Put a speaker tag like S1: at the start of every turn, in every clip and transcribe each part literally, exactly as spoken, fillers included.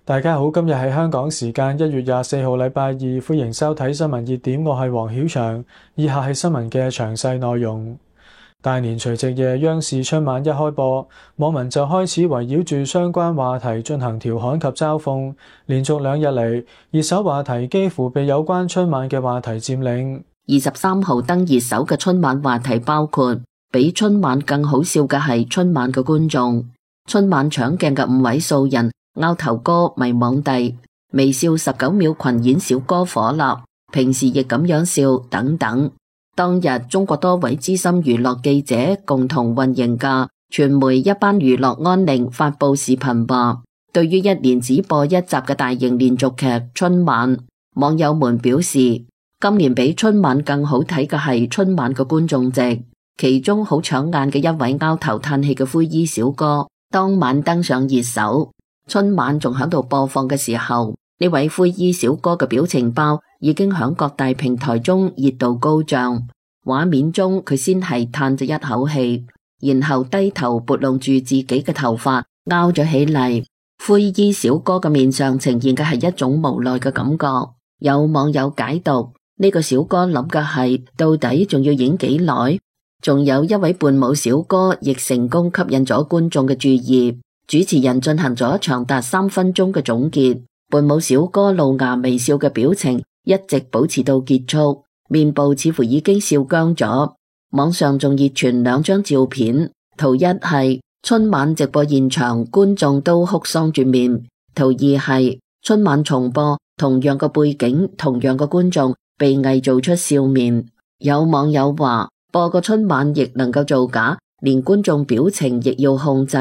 S1: 大家好，今日係香港時間一月廿四號禮拜二，歡迎收睇新聞熱點，我係黃曉翔。以下係新聞嘅詳細內容。大年除夕夜，央視春晚一開播，網民就開始圍繞住相關話題進行調侃及嘲諷，連續兩日嚟，熱搜話題幾乎被有關春晚嘅話題佔領。
S2: 二十三號登熱搜嘅春晚話題包括，比春晚更好笑嘅係春晚嘅觀眾，春晚搶鏡嘅五位素人，拗頭哥迷惘地，微笑十九秒群演小哥火辣，平時亦咁樣笑等等。當日中國多位資深娛樂記者共同運營嘅傳媒一班娛樂安寧發佈視頻話，對於一年只播一集嘅大型連續劇春晚，網友們表示今年比春晚更好睇嘅係春晚嘅觀眾席，其中好搶眼嘅一位拗頭嘆氣嘅灰衣小哥當晚登上熱搜。春晚仲喺度播放嘅時候，呢位灰衣小哥嘅表情包已經響各大平台中熱度高漲。畫面中佢先係嘆咗一口氣，然後低頭撥弄住自己嘅頭髮，拗咗起嚟。灰衣小哥嘅面上呈現嘅係一種無奈嘅感覺。有網友解讀，呢個小哥諗嘅係到底仲要演幾耐？仲有一位伴舞小哥亦成功吸引咗觀眾嘅注意。主持人進行咗長達三分鐘嘅總結，伴舞小哥露牙微笑嘅表情一直保持到結束，面部似乎已經笑僵咗。網上仲熱傳兩張照片，圖一係春晚直播現場觀眾都哭喪住面，圖二係春晚重播，同樣嘅背景，同樣嘅觀眾被偽造出笑面。有網友話，播個春晚亦能夠造假，連觀眾表情亦要控制。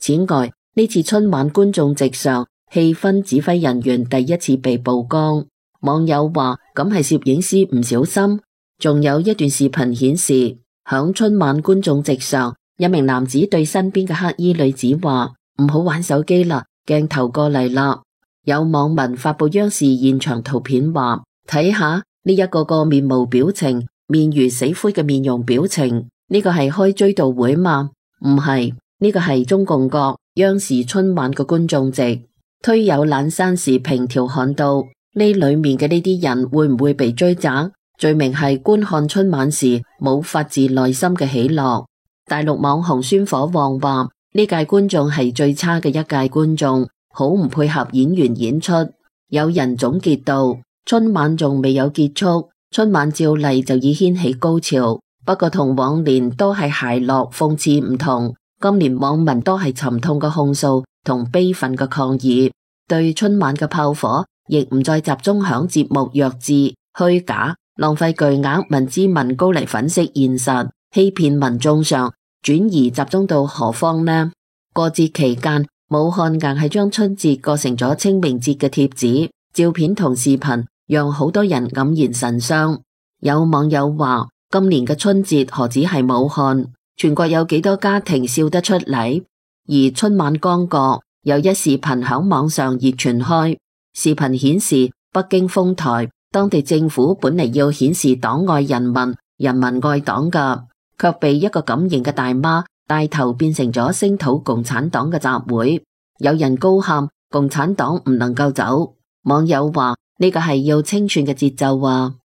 S2: 此外，呢次春晚觀眾席上氣氛指揮人員第一次被曝光，網友話咁係攝影師唔小心。仲有一段視頻顯示，響春晚觀眾席上，一名男子對身邊嘅黑衣女子話：唔好玩手機啦，鏡頭過嚟啦。有網民發佈央視現場圖片話：睇下呢一個個面無表情、面如死灰嘅面容表情，呢個係開追悼會嗎？唔係。呢個係中共國央視春晚嘅觀眾席。推友懶山時評調侃到，呢裏面嘅呢啲人會唔會被追責？罪名係觀看春晚時冇發自內心嘅喜樂。大陸網紅酸火旺話，呢屆觀眾係最差嘅一屆觀眾，好唔配合演員演出。有人總結到，春晚仲未有結束，春晚照例就已掀起高潮，不過同往年都係諧樂諷刺唔同。今年網民都係沉痛嘅控訴同悲憤嘅抗議，對春晚嘅炮火亦唔再集中響節目弱智、虛假、浪費巨額民脂民膏嚟粉飾現實、欺騙民眾上，轉移集中到何方呢？過節期間，武漢硬係將春節過成咗清明節嘅貼紙、照片同視頻，讓好多人黯然神傷。有網友話：今年嘅春節何止係武漢？全國有幾多家庭笑得出嚟？而春晚剛過，有一視頻響網上熱傳開。視頻顯示北京豐台當地政府本嚟要顯示黨愛人民、人民愛黨㗎，卻被一個敢型嘅大媽帶頭變成咗聲討共產黨嘅集會。有人高喊共產黨唔能夠走。網友話呢個係要清算嘅節奏啊！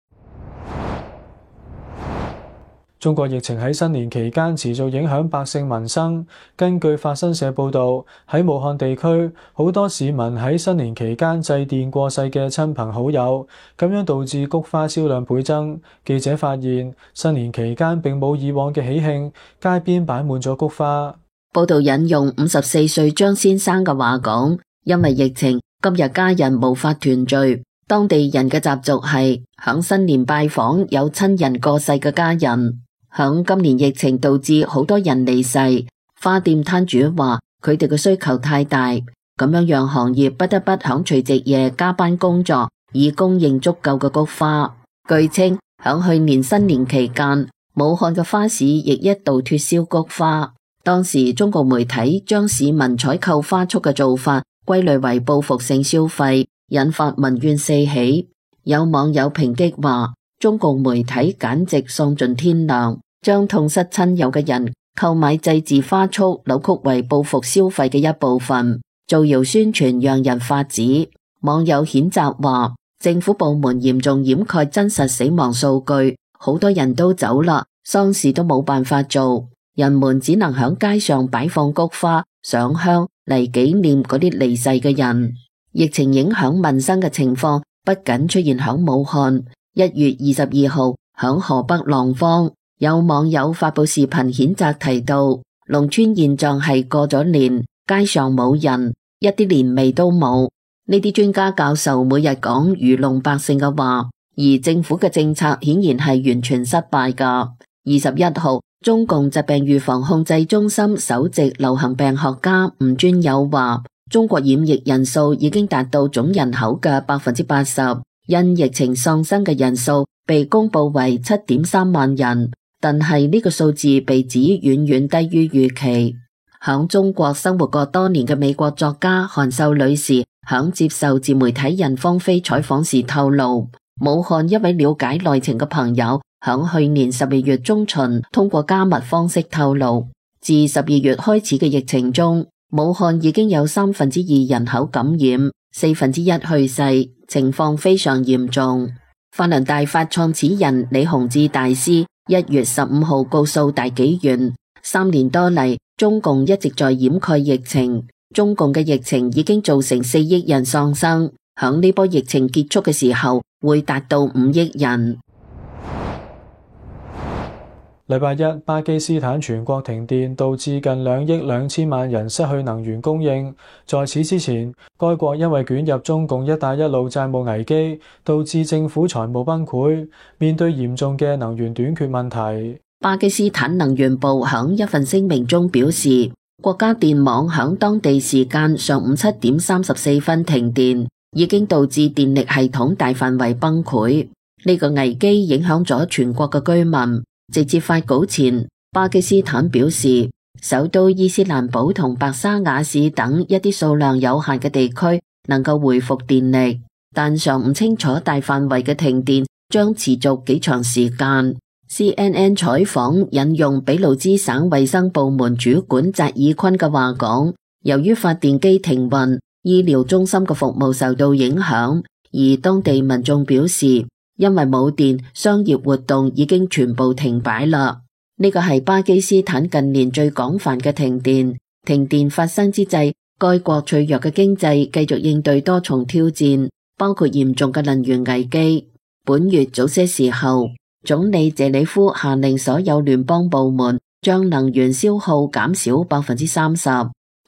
S1: 中國疫情喺新年期間持續影響百姓民生。根據法新社報導，喺武漢地區，好多市民喺新年期間祭奠過世嘅親朋好友，咁樣導致菊花銷量倍增。記者發現，新年期間並冇以往嘅喜慶，街邊擺滿咗菊花。
S2: 報導引用五十四歲張先生嘅話講，因為疫情，今日家人無法團聚，當地人嘅習俗係響新年拜訪有親人過世嘅家人。響今年疫情導致好多人離世，花店攤主話佢哋嘅需求太大，咁樣讓行業不得不響除夕夜加班工作，以供應足夠嘅菊花。據稱，響去年新年期間，武漢嘅花市亦一度脫銷菊花。當時中國媒體將市民採購花束嘅做法歸類為報復性消費，引發民怨四起。有網友抨擊話，中共媒體簡直喪盡天良，將痛失親友嘅人購買祭祀花束扭曲為報復消費嘅一部分，造謠宣傳讓人髮指。網友譴責話，政府部門嚴重掩蓋真實死亡數據，好多人都走啦，喪事都冇辦法做，人們只能響街上擺放菊花、上香嚟紀念嗰啲離世嘅人。疫情影響民生嘅情況不僅出現響武漢，一月二十二號響河北廊坊，有網友發佈視頻譴責提到，農村現狀係過咗年，街上冇人，一啲年味都冇。呢啲專家教授每日講愚弄百姓嘅話，而政府嘅政策顯然係完全失敗㗎。二十一號，中共疾病預防控制中心首席流行病學家吳尊友話，中國染疫人數已經達到總人口嘅百分之八十，因疫情喪生嘅人數被公布為七點三萬人，但係呢個數字被指遠遠低於預期。響中國生活過多年嘅美國作家韓秀女士響接受自媒體人方飛採訪時透露，武漢一位了解內情嘅朋友響去年十二月中旬通過加密方式透露，自十二月開始嘅疫情中，武漢已經有三分之二人口感染，四分之一去世，情況非常嚴重。法輪大法創始人李洪志大師一月十五號告訴大紀元，三年多嚟，中共一直在掩蓋疫情，中共嘅疫情已經造成四億人喪生，響呢波疫情結束嘅時候會達到五億人。
S1: 禮拜一，巴基斯坦全國停電，導致近兩億兩千萬人失去能源供應。在此之前，該國因為捲入中共一帶一路債務危機，導致政府財務崩潰，面對嚴重嘅能源短缺問題。
S2: 巴基斯坦能源部響一份聲明中表示，國家電網響當地時間上午七點三十四分停電，已經導致電力系統大範圍崩潰。呢個危機影響咗全國嘅居民。直至發稿前，巴基斯坦表示，首都伊斯蘭堡同白沙瓦市等一啲數量有限嘅地區能夠恢復電力，但尚唔清楚大範圍嘅停電將持續幾長時間。C N N 採訪引用俾路支省衛生部門主管扎爾坤嘅話講，由於發電機停運，醫療中心嘅服務受到影響，而當地民眾表示，因為冇電，商業活動已經全部停擺啦。呢個係巴基斯坦近年最廣泛嘅停電。停電發生之際，該國脆弱嘅經濟繼續應對多重挑戰，包括嚴重嘅能源危機。本月早些時候，總理謝里夫下令所有聯邦部門將能源消耗減少百分之三十，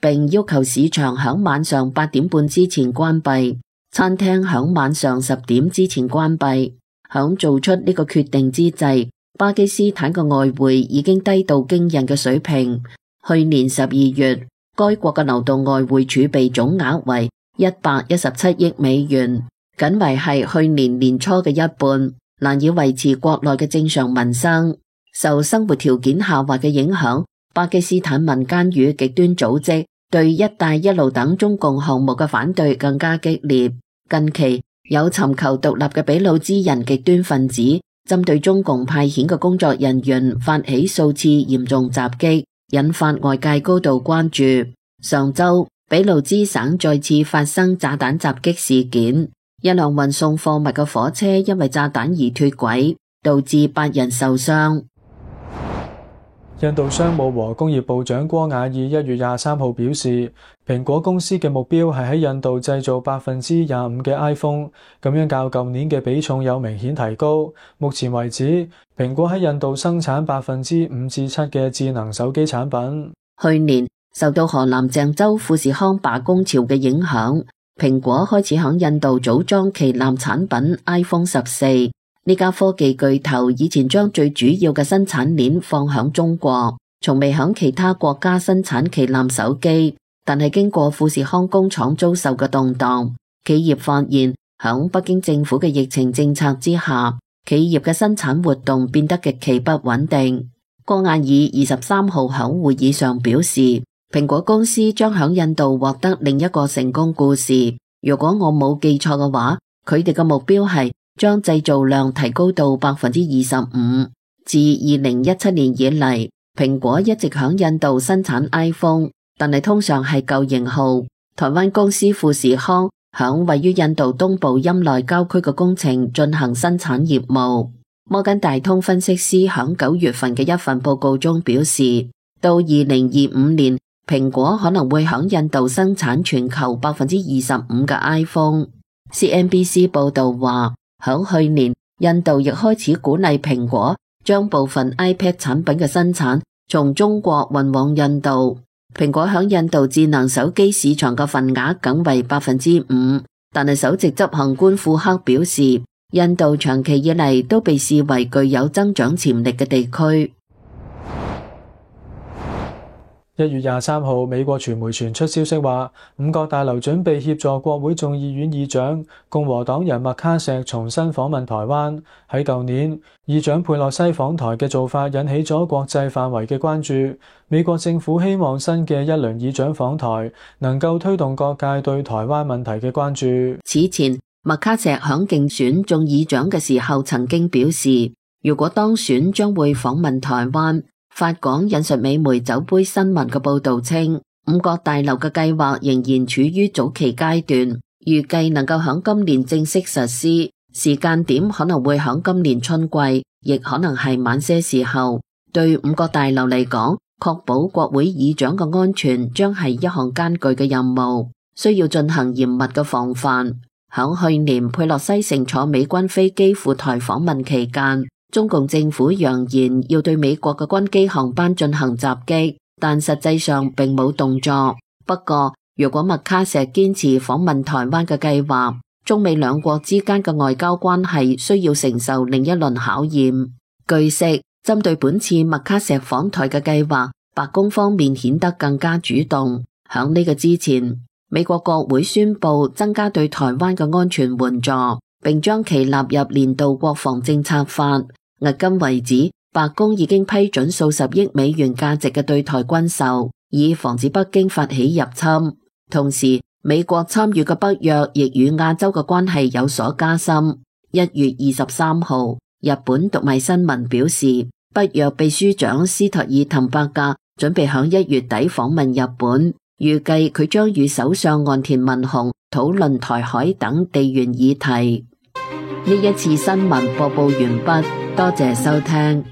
S2: 並要求市場響晚上八點半之前關閉。餐廳響晚上十點之前關閉。響做出呢個決定之際，巴基斯坦嘅外匯已經低到驚人嘅水平。去年十二月，該國嘅流動外匯儲備總額為一百一十七億美元，僅為係去年年初嘅一半，難以維持國內嘅正常民生。受生活條件下滑嘅影響，巴基斯坦民間與極端組織對一帶一路等中共項目嘅反對更加激烈。近期有尋求獨立嘅俾路支人極端分子針對中共派遣嘅工作人員發起數次嚴重襲擊，引發外界高度關注。上周俾路支省再次發生炸彈襲擊事件，一輛運送貨物嘅火車因為炸彈而脫軌，導致八人受傷。
S1: 印度商務和工業部長戈瓦爾一月廿三號表示，蘋果公司嘅目標係喺印度製造百分之廿五嘅 iPhone， 咁樣較舊年嘅比重有明顯提高。目前為止，蘋果喺印度生產百分之五至七嘅智能手機產品。
S2: 去年受到河南鄭州富士康罷工潮嘅影響，蘋果開始響印度組裝旗艦產品 iPhone 十四。呢家科技巨頭以前將最主要嘅生產鏈放響中國，從未響其他國家生產旗艦手機。但係經過富士康工廠遭受嘅動盪，企業發現響北京政府嘅疫情政策之下，企業嘅生產活動變得極其不穩定。戈瓦爾二十三號響會議上表示，蘋果公司將響印度獲得另一個成功故事。如果我冇記錯嘅話，佢哋嘅目標係將製造量提高到百分之二十五。自二零一七年以嚟，蘋果一直響印度生產 iPhone， 但係通常係舊型號。台灣公司富士康響位於印度東部欽內郊區嘅工程進行生產業務。摩根大通分析師響九月份嘅一份報告中表示，到二零二五年，蘋果可能會響印度生產全球百分之二十五嘅 iPhone。C N B C 報道話，響去年，印度亦開始鼓勵蘋果將部分 iPad 產品嘅生產從中國運往印度。蘋果響印度智能手機市場嘅份額僅為百分之五，但係首席執行官庫克表示，印度長期以嚟都被視為具有增長潛力嘅地區。
S1: 一月廿三號，美國傳媒傳出消息話，五角大樓準備協助國會眾議院議長共和黨人麥卡錫重新訪問台灣。喺舊年，議長佩洛西訪台嘅做法引起咗國際範圍嘅關注。美國政府希望新嘅一輪議長訪台能夠推動各界對台灣問題嘅關注。
S2: 此前，麥卡錫響競選眾議長嘅時候曾經表示，如果當選將會訪問台灣。法港引述美媒酒杯新聞嘅報道稱，五角大樓嘅計劃仍然處於早期階段，預計能夠響今年正式實施，時間點可能會響今年春季，亦可能係晚些時候。對五角大樓嚟講，確保國會議長嘅安全將係一項艱巨嘅任務，需要進行嚴密嘅防範。響去年佩洛西乘坐美軍飛機赴台訪問期間，中共政府揚言要對美國嘅軍機航班進行襲擊，但實際上並冇動作。不過，如果麥卡錫堅持訪問台灣嘅計劃，中美兩國之間嘅外交關係需要承受另一輪考驗。據悉，針對本次麥卡錫訪台嘅計劃，白宮方面顯得更加主動。響呢個之前，美國國會宣布增加對台灣嘅安全援助，並將其納入年度國防政策法。迄今為止，白宮已經批准數十億美元價值嘅對台軍售，以防止北京發起入侵。同時，美國參與嘅北約亦與亞洲嘅關係有所加深。一月二十三號，日本讀賣新聞表示，北約秘書長斯托爾滕伯格準備響一月底訪問日本，預計佢將與首相岸田文雄討論台海等地緣議題。呢一次新聞播報完畢，多謝收聽。